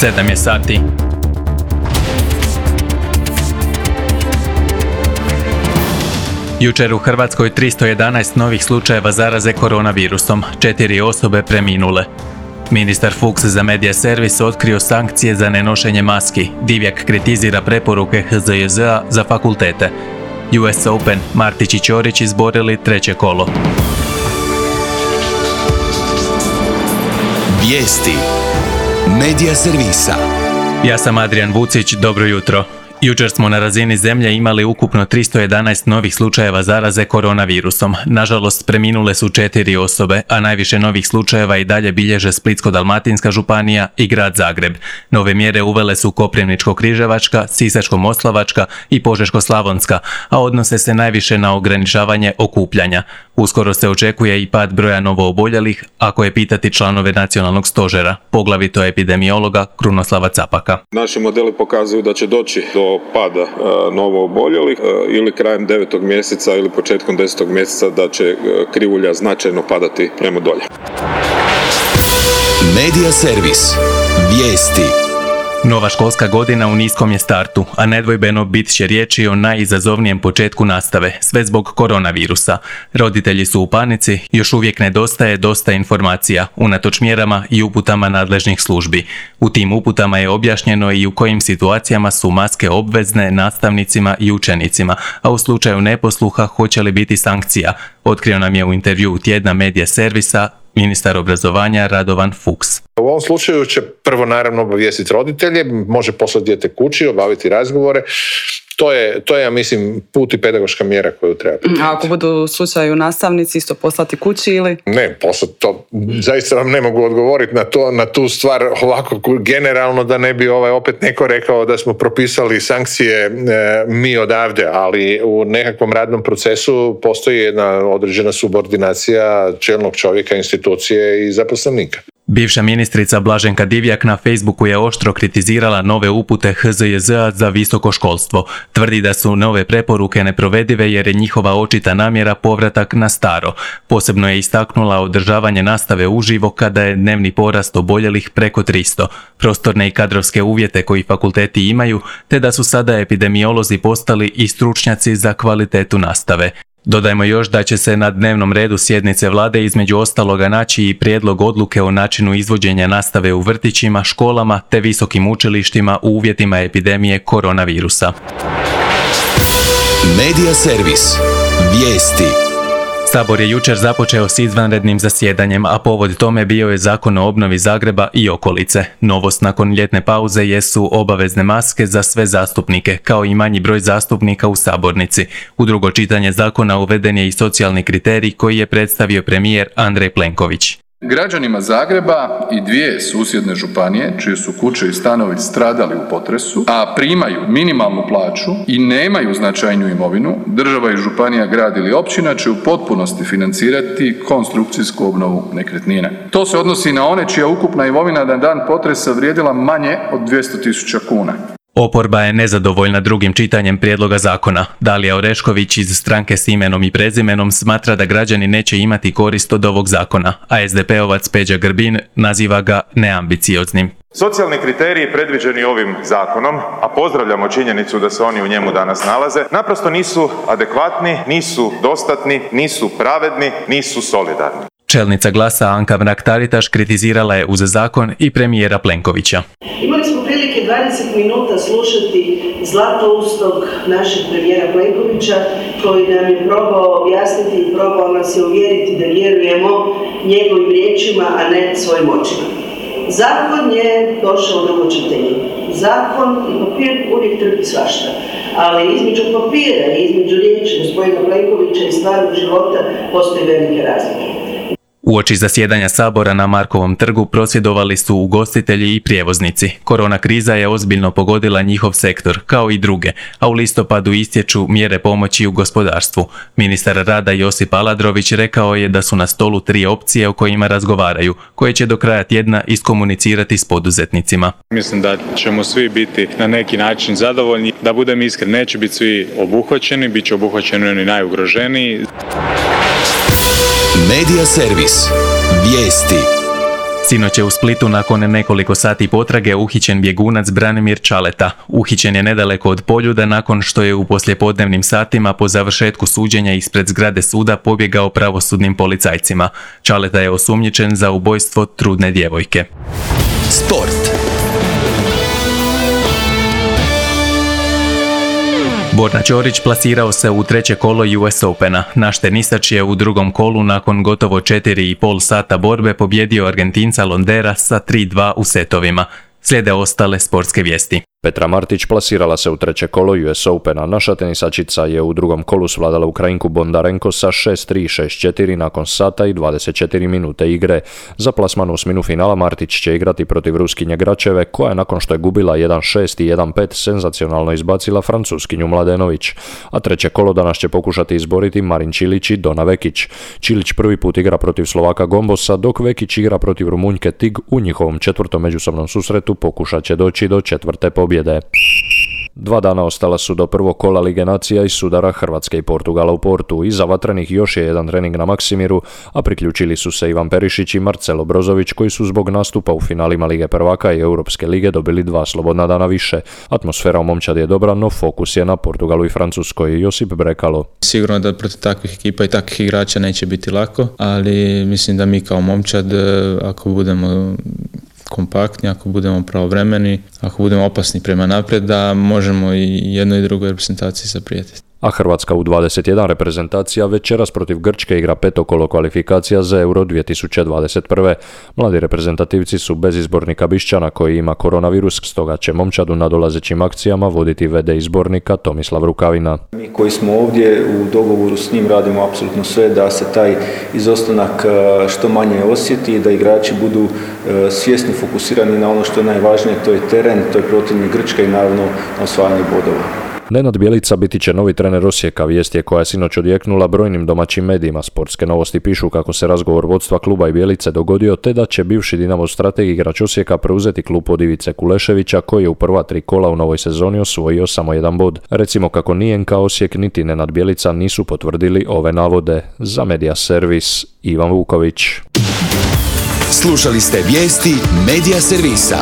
7 je sati. Jučer u Hrvatskoj 311 novih slučajeva zaraze koronavirusom, 4 osobe preminule. Ministar Fuchs za Media Servis otkrio sankcije za nenošenje maski. Divjak kritizira preporuke HZJZ-a za fakultete. US Open, Martić i Ćorić izborili treće kolo. Vijesti Media Servisa. Ja sam Adrian Vucić, dobro jutro. Jučer smo na razini zemlje imali ukupno 311 novih slučajeva zaraze koronavirusom. Nažalost, preminule su 4 osobe, a najviše novih slučajeva i dalje bilježe Splitsko-dalmatinska županija i grad Zagreb. Nove mjere uvele su Koprivničko-križevačka, Sisačko-moslavačka i Požeško-slavonska, a odnose se najviše na ograničavanje okupljanja. Uskoro se očekuje i pad broja novooboljelih, ako je pitati članove nacionalnog stožera, poglavito epidemiologa Krunoslava Capaka. Naši modeli pokazuju da će doći do pada novooboljelih ili krajem 9. mjeseca ili početkom 10. mjeseca da će krivulja značajno padati prema dolje. Media Servis. Vijesti. Nova školska godina u niskom je startu, a nedvojbeno bit će riječi o najizazovnijem početku nastave, sve zbog koronavirusa. Roditelji su u panici, još uvijek nedostaje dosta informacija, unatoč mjerama i uputama nadležnih službi. U tim uputama je objašnjeno i u kojim situacijama su maske obvezne nastavnicima i učenicima, a u slučaju neposluha hoće li biti sankcija, otkrio nam je u intervjuu tjedna Media Servisa ministar obrazovanja Radovan Fuchs. U ovom slučaju će prvo naravno obavijestiti roditelje, može poslati dijete kući, obaviti razgovore. To je, ja mislim, put i pedagoška mjera koju treba. A ako budu u slučaju nastavnici isto poslati kući ili? Ne, poslati to. Zaista vam ne mogu odgovoriti na tu stvar ovako generalno, da ne bi opet neko rekao da smo propisali sankcije mi odavde, ali u nekakvom radnom procesu postoji jedna određena subordinacija čelnog čovjeka, institucije i zaposlenika. Bivša ministrica Blaženka Divjak na Facebooku je oštro kritizirala nove upute HZJZ-a za visoko školstvo. Tvrdi da su nove preporuke neprovedive jer je njihova očita namjera povratak na staro. Posebno je istaknula održavanje nastave uživo kada je dnevni porast oboljelih preko 300, prostorne i kadrovske uvjete koji fakulteti imaju, te da su sada epidemiolozi postali i stručnjaci za kvalitetu nastave. Dodajmo još da će se na dnevnom redu sjednice vlade između ostaloga naći i prijedlog odluke o načinu izvođenja nastave u vrtićima, školama te visokim učilištima u uvjetima epidemije koronavirusa. Media Servis. Vijesti. Sabor je jučer započeo s izvanrednim zasjedanjem, a povod tome bio je Zakon o obnovi Zagreba i okolice. Novost nakon ljetne pauze jesu obavezne maske za sve zastupnike, kao i manji broj zastupnika u sabornici. U drugo čitanje zakona uveden je i socijalni kriterij koji je predstavio premijer Andrej Plenković. Građanima Zagreba i 2 susjedne županije, čije su kuće i stanovi stradali u potresu, a primaju minimalnu plaću i nemaju značajnu imovinu, država i županija, grad ili općina će u potpunosti financirati konstrukcijsku obnovu nekretnina. To se odnosi na one čija ukupna imovina na dan potresa vrijedila manje od 200.000 kuna. Oporba je nezadovoljna drugim čitanjem prijedloga zakona. Dalija Orešković iz stranke s imenom i prezimenom smatra da građani neće imati korist od ovog zakona, a SDP-ovac Peđa Grbin naziva ga neambicioznim. Socijalni kriteriji predviđeni ovim zakonom, a pozdravljamo činjenicu da se oni u njemu danas nalaze, naprosto nisu adekvatni, nisu dostatni, nisu pravedni, nisu solidarni. Čelnica Glasa Anka Mrak-Taritaš kritizirala je uz zakon i premijera Plenkovića. Imali smo prilike 20 minuta slušati zlatoustog našeg premijera Plenkovića koji nam je probao objasniti i probao nas je uvjeriti da vjerujemo njegovim riječima, a ne svojim očima. Zakon je došao u drugo čitanje. Zakon i papir uvijek trpi svašta, ali između papira i između riječi gospodina Plenkovića i stvarnog života postoji velike razlike. Uoči zasjedanja Sabora na Markovom trgu prosvjedovali su ugostitelji i prijevoznici. Korona kriza je ozbiljno pogodila njihov sektor, kao i druge, a u listopadu istječu mjere pomoći u gospodarstvu. Ministar rada Josip Aladrović rekao je da su na stolu 3 opcije o kojima razgovaraju, koje će do kraja tjedna iskomunicirati s poduzetnicima. Mislim da ćemo svi biti na neki način zadovoljni. Da budem iskren, neće biti svi obuhvaćeni, bit će obuhvaćeni oni najugroženiji. Media Servis. Vijesti. Sinoć je u Splitu nakon nekoliko sati potrage uhićen bjegunac Branimir Čaleta. Uhićen je nedaleko od Poljuda nakon što je u poslijepodnevnim satima po završetku suđenja ispred zgrade suda pobjegao pravosudnim policajcima. Čaleta je osumnjičen za ubojstvo trudne djevojke. Sport. Borna Ćorić plasirao se u treće kolo US Opena. Naš tenisač je u drugom kolu nakon gotovo 4,5 sata borbe pobjedio Argentinca Londera sa 3-2 u setovima. Slijede ostale sportske vijesti. Petra Martić plasirala se u treće kolo US Opena. Naša tenisačica je u drugom kolu svladala Ukrajinku Bondarenko sa 6-3 i 6-4 nakon sata i 24 minute igre. Za plasman u osminu finala Martić će igrati protiv Ruskinje Gračeve, koja je nakon što je gubila 1-6 i 1-5 senzacionalno izbacila Francuskinju Mladenović. A treće kolo danas će pokušati izboriti Marin Čilić i Dona Vekić. Čilić prvi put igra protiv Slovaka Gombosa, dok Vekić igra protiv Rumunjke Tig. U njihovom četvrtom međusobnom susretu pokušat će doći do četvrte pobjede. 2 dana ostala su do prvog kola Lige nacija iz sudara Hrvatske i Portugala u Portu. Iza vatrenih još je jedan trening na Maksimiru, a priključili su se Ivan Perišić i Marcelo Brozović, koji su zbog nastupa u finalima Lige prvaka i Europske lige dobili 2 slobodna dana više. Atmosfera u momčadi je dobra, no fokus je na Portugalu i Francuskoj. Josip Brekalo. Sigurno da protiv takvih ekipa i takvih igrača neće biti lako, ali mislim da mi kao momčad, ako budemo kompaktni, ako budemo pravovremeni, ako budemo opasni prema naprijed, da možemo i jednoj i drugoj reprezentaciji zaprijeti. A Hrvatska U21 reprezentacija večeras protiv Grčke igra peto kolo kvalifikacija za Euro 2021. Mladi reprezentativci su bez izbornika Bišćana koji ima koronavirus, stoga će momčad u nadolazećim akcijama voditi VD izbornika Tomislav Rukavina. Mi koji smo ovdje u dogovoru s njim radimo apsolutno sve da se taj izostanak što manje osjeti, da igrači budu svjesni, fokusirani na ono što je najvažnije, to je teren, to je protivnik Grčka i naravno na osvajanje bodova. Nenad Bjelica biti će novi trener Osijeka, vijest je koja je sinoć odjeknula brojnim domaćim medijima. Sportske novosti pišu kako se razgovor vodstva kluba i Bjelice dogodio, te da će bivši Dinamov strateg igrač Osijeka preuzeti klub od Ivice Kuleševića, koji je u prva 3 kola u novoj sezoni osvojio samo 1 bod. Recimo kako ni NK Osijek niti Nenad Bjelica nisu potvrdili ove navode. Za Media Servis Ivan Vuković. Slušali ste vijesti Media Servisa.